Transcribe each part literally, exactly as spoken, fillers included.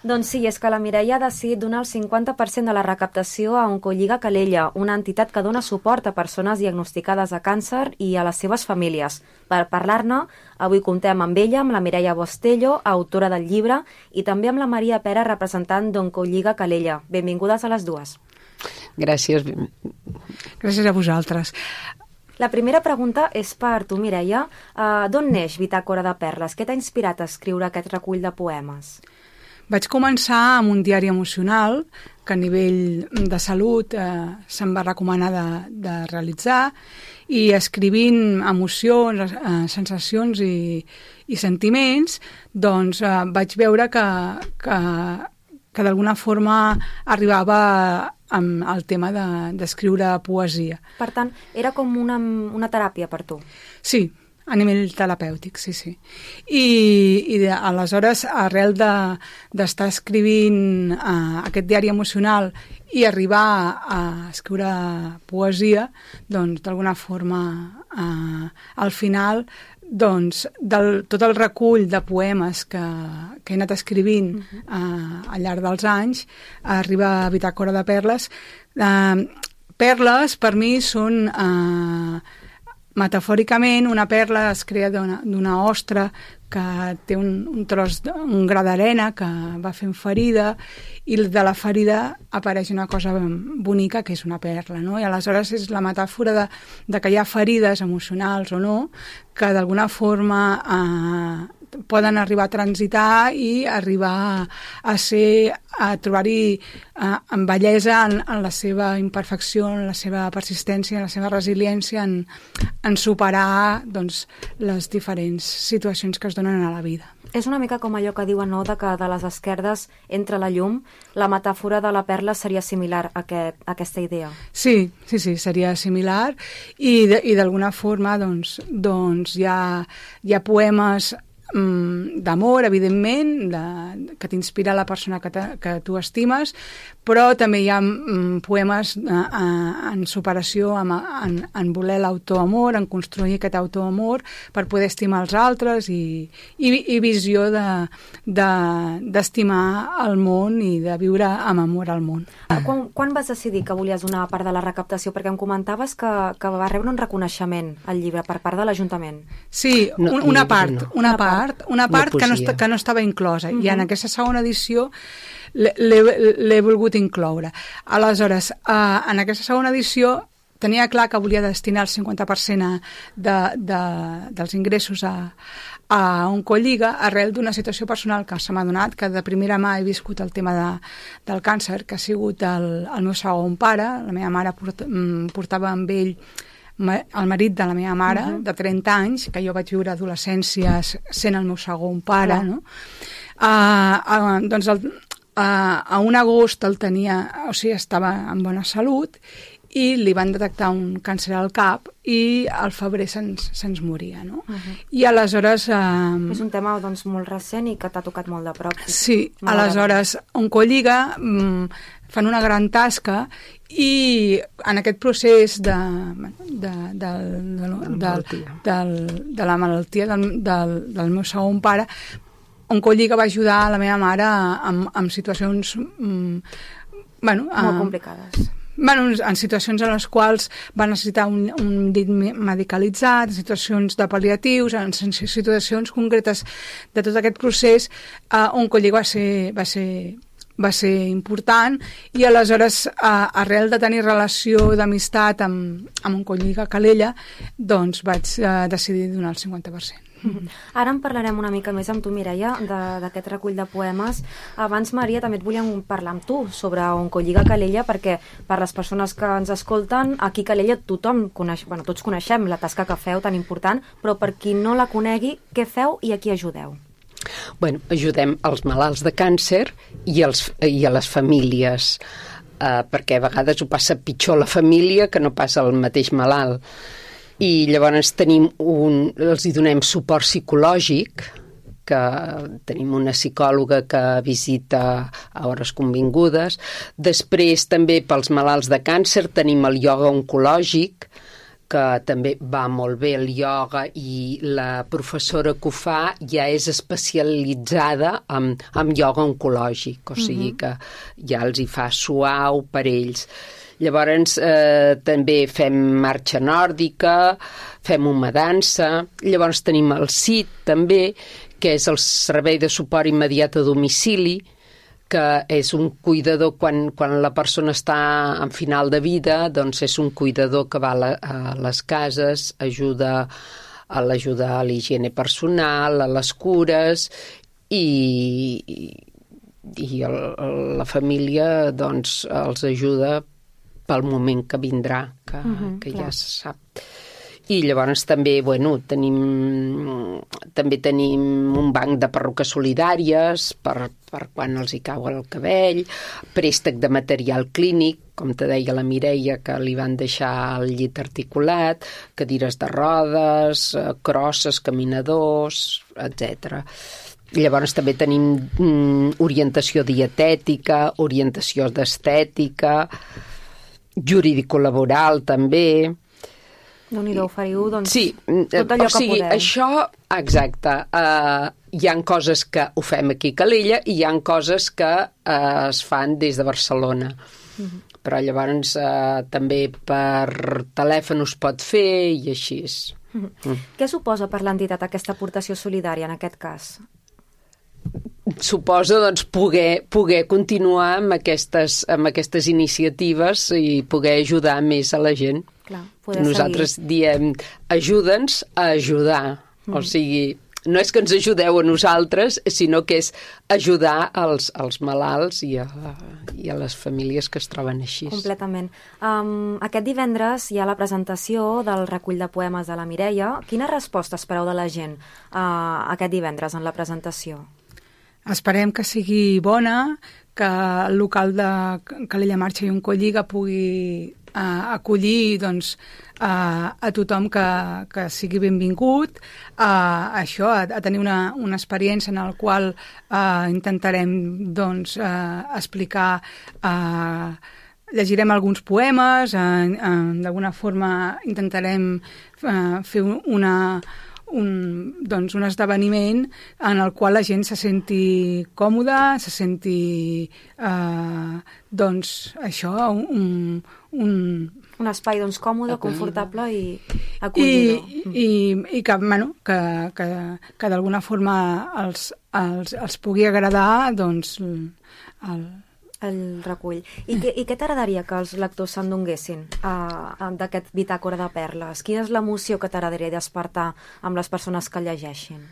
Doncs sí, és que la Mireia ha decidit donar el cinquanta per cent de la recaptació a Oncolliga Calella, una entitat que dona suport a persones diagnosticades de càncer i a les seves famílies. Per parlar-ne, avui comptem amb ella, amb la Mireia Bostello, autora del llibre, i també amb la Maria Pera, representant d'Oncolliga Calella. Benvingudes a les dues. Gràcies. Gràcies a vosaltres. La primera pregunta és per tu, Mireia. Uh, D'on neix Bitàcora de Perles? Què t'ha inspirat a escriure aquest recull de poemes? Vaig començar amb un diari emocional que a nivell de salut eh, se'm va recomanar de, de realitzar, i escrivint emocions, eh, sensacions i, i sentiments, doncs eh, vaig veure que, que, que d'alguna forma arribava amb el tema d'escriure de, poesia. Per tant, era com una, una teràpia per tu? Sí, a nivell terapèutic, sí, sí. I, i de, aleshores, arrel d'estar de, escrivint uh, aquest diari emocional i arribar a escriure poesia, doncs, d'alguna forma, uh, al final, doncs, del, tot el recull de poemes que, que he anat escrivint uh-huh. uh, al llarg dels anys, arriba a Bitàcora de Perles. Uh, perles, per mi, són... Uh, metafòricament, una perla es crea d'una ostra que té un, un tros, un gra d'arena que va fent ferida, i de la ferida apareix una cosa bonica que és una perla, no? I aleshores és la metàfora de, de que hi ha ferides emocionals o no, que d'alguna forma eh, poden arribar a transitar i arribar a ser, a trobar-hi eh, en bellesa en, en la seva imperfecció, en la seva persistència, en la seva resiliència, en, en superar, doncs, les diferents situacions que es donen a la vida. És una mica com allò que diuen, no?, de que de les esquerdes entra la llum. La metàfora de la perla seria similar a, aquest, a aquesta idea. Sí, sí, sí, seria similar, i d'alguna forma doncs, doncs hi ha, hi ha poemes d'amor, evidentment, de, que t'inspira la persona que, te, que tu estimes, però també hi ha mm, poemes eh, en superació, en, en, en voler l'autoamor, en construir aquest autoamor per poder estimar els altres, i, i, i visió d'estimar de, el món i de viure amb amor al món. Quan, quan vas decidir que volies donar part de la recaptació? Perquè em comentaves que, que va rebre un reconeixement al llibre per part de l'Ajuntament. Sí, un, no, una part, no. una part, una part que no, que no estava inclosa, uh-huh. i en aquesta segona edició l'he volgut incloure. Aleshores, eh, en aquesta segona edició tenia clar que volia destinar el cinquanta per cent de, de, dels ingressos a, a Oncolliga, arrel d'una situació personal que se m'ha donat, que de primera mà he viscut el tema de, del càncer, que ha sigut el, el meu segon pare. La meva mare port, portava amb ell el marit de la meva mare, uh-huh. de trenta anys, que jo vaig viure adolescència sent el meu segon pare, uh-huh. no? Uh, uh, doncs el, uh, a un agost el tenia, o sigui, estava en bona salut, i li van detectar un càncer al cap, i al febrer se'ns se moria, no? Uh-huh. I aleshores... Uh, és un tema, doncs, molt recent i que t'ha tocat molt de prop. Sí, aleshores, Oncolliga um, fan una gran tasca, i en aquest procés de, de, de, de, de, de, de la malaltia del, del, del meu segon pare, Oncolliga va ajudar la meva mare en, en situacions um, bueno, molt uh, complicades. Bueno, en situacions en les quals va necessitar un, un dit medicalitzat, en situacions de pal·liatius, en situacions concretes de tot aquest procés, uh, Oncolliga va ser... Va ser va ser important, i aleshores, eh, arrel de tenir relació d'amistat amb, amb Oncolliga Calella, doncs vaig eh, decidir donar el cinquanta per cent. Mm-hmm. Ara en parlarem una mica més amb tu, Mireia, d'aquest recull de poemes. Abans, Maria, també et volíem parlar amb tu sobre Oncolliga Calella, perquè per les persones que ens escolten, aquí a Calella tothom coneix, bueno, tots coneixem la tasca que feu tan important, però per qui no la conegui, què feu i a qui ajudeu? Bueno, ajudem els malalts de càncer i, els, i a les famílies, eh, perquè a vegades ho passa pitjor la família que no passa el mateix malalt. I llavors tenim un, els hi donem suport psicològic, que tenim una psicòloga que visita a hores convingudes. Després també pels malalts de càncer tenim el ioga oncològic, que també va molt bé el ioga, i la professora que ho fa ja és especialitzada en, en ioga oncològic, o sigui que ja els hi fa suau per ells. Llavors eh, també fem marxa nòrdica, fem humadança, llavors tenim el S I T també, que és el servei de suport immediat a domicili, que és un cuidador quan, quan la persona està en final de vida, doncs és un cuidador que va a, la, a les cases, ajuda a l'ajuda a l'higiene personal, a les cures, i, i el, la família doncs els ajuda pel moment que vindrà, que, uh-huh, que ja se sap. I llavors també, bueno, tenim, també tenim un banc de perruques solidàries per, per quan els hi cau el cabell, préstec de material clínic, com te deia la Mireia, que li van deixar el llit articulat, cadires de rodes, crosses, caminadors, etcètera. Llavors també tenim mm, orientació dietètica, orientació d'estètica, jurídico-laboral també. Déu-n'hi-do, oferiu, doncs, sí, tot allò o sigui, que podeu. Això, exacte, uh, hi ha coses que ho fem aquí a Calella i hi ha coses que uh, es fan des de Barcelona. Uh-huh. Però llavors uh, també per telèfon es pot fer i així. Uh-huh. Mm. Què suposa per l'entitat aquesta aportació solidària en aquest cas? Suposa doncs, poder, poder continuar amb aquestes, amb aquestes iniciatives i poder ajudar més a la gent. Clar, nosaltres seguir. diem, ajuda'ns a ajudar. Mm. O sigui, no és que ens ajudeu a nosaltres, sinó que és ajudar als, als malalts i a, i a les famílies que es troben així. Completament. Um, aquest divendres hi ha la presentació del recull de poemes de la Mireia. Quina resposta espereu de la gent uh, aquest divendres en la presentació? Esperem que sigui bona, que el local de Calella Marxa i Oncolliga pugui uh, acollir doncs, uh, a tothom que, que sigui benvingut, uh, això, a, a tenir una, una experiència en la qual uh, intentarem doncs, uh, explicar, uh, llegirem alguns poemes, uh, uh, d'alguna forma intentarem uh, fer una... Un, doncs un esdeveniment en el qual la gent se senti còmoda, se senti eh, doncs això, un, un, un espai doncs, còmode, confortable i acollidor. I, i, i que, bueno, que, que, que d'alguna forma els, els, els pugui agradar doncs, el, el recull. I, que, i què t'agradaria que els lectors s'endonguessin uh, d'aquest bitàcora de perles? Quina és l'emoció que t'agradaria despertar amb les persones que llegeixin?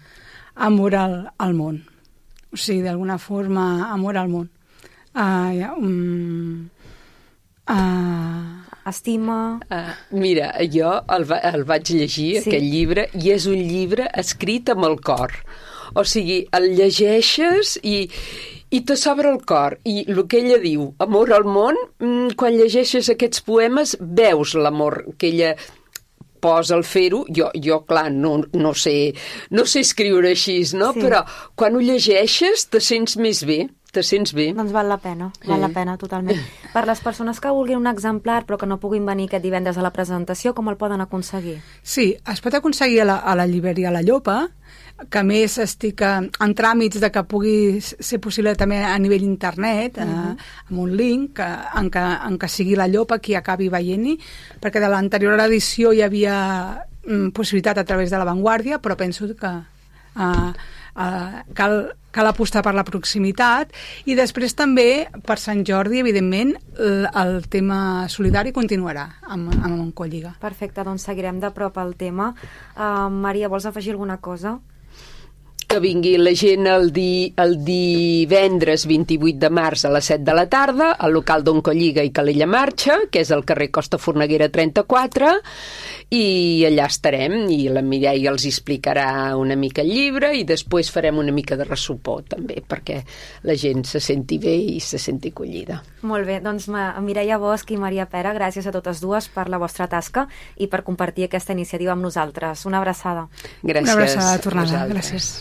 Amor al, al món. O sigui, d'alguna forma, amor al món. Uh, ja, um, uh... Estima... Uh, mira, jo el, va, el vaig llegir, sí. Aquest llibre, i és un llibre escrit amb el cor. O sigui, el llegeixes i... I te s'obre el cor, i el que ella diu, amor al món, quan llegeixes aquests poemes veus l'amor que ella posa al fer-ho. Jo, jo clar, no, no, sé, no sé escriure així, no? Sí. Però quan ho llegeixes te sents més bé, te sents bé. Doncs val la pena, val eh. la pena totalment. Per les persones que vulguin un exemplar però que no puguin venir aquest divendres a la presentació, com el poden aconseguir? Sí, es pot aconseguir a la, a la llibreria La Llopa, que a més estic en tràmits de que pugui ser possible també a nivell internet, uh-huh. eh, amb un link que, en, que, en què sigui La Llopa qui acabi veient-hi, perquè de l'anterior edició hi havia mm, possibilitat a través de La Vanguardia, però penso que eh, eh, cal, cal apostar per la proximitat, i després també per Sant Jordi, evidentment, el, el tema solidari continuarà amb, amb Oncolliga. Perfecte, doncs seguirem de prop el tema. Uh, Maria, vols afegir alguna cosa? Que vingui la gent el, di, el divendres vint-i-vuit de març a les set de la tarda al local d'Oncolliga i Calella Marxa, que és al carrer Costa Forneguera trenta-quatre, i allà estarem, i la Mireia els explicarà una mica el llibre i després farem una mica de ressupor també, perquè la gent se senti bé i se senti acollida. Molt bé, doncs Mireia Bosch i Maria Pera, gràcies a totes dues per la vostra tasca i per compartir aquesta iniciativa amb nosaltres. Una abraçada. Gràcies. Una abraçada tornada, gràcies.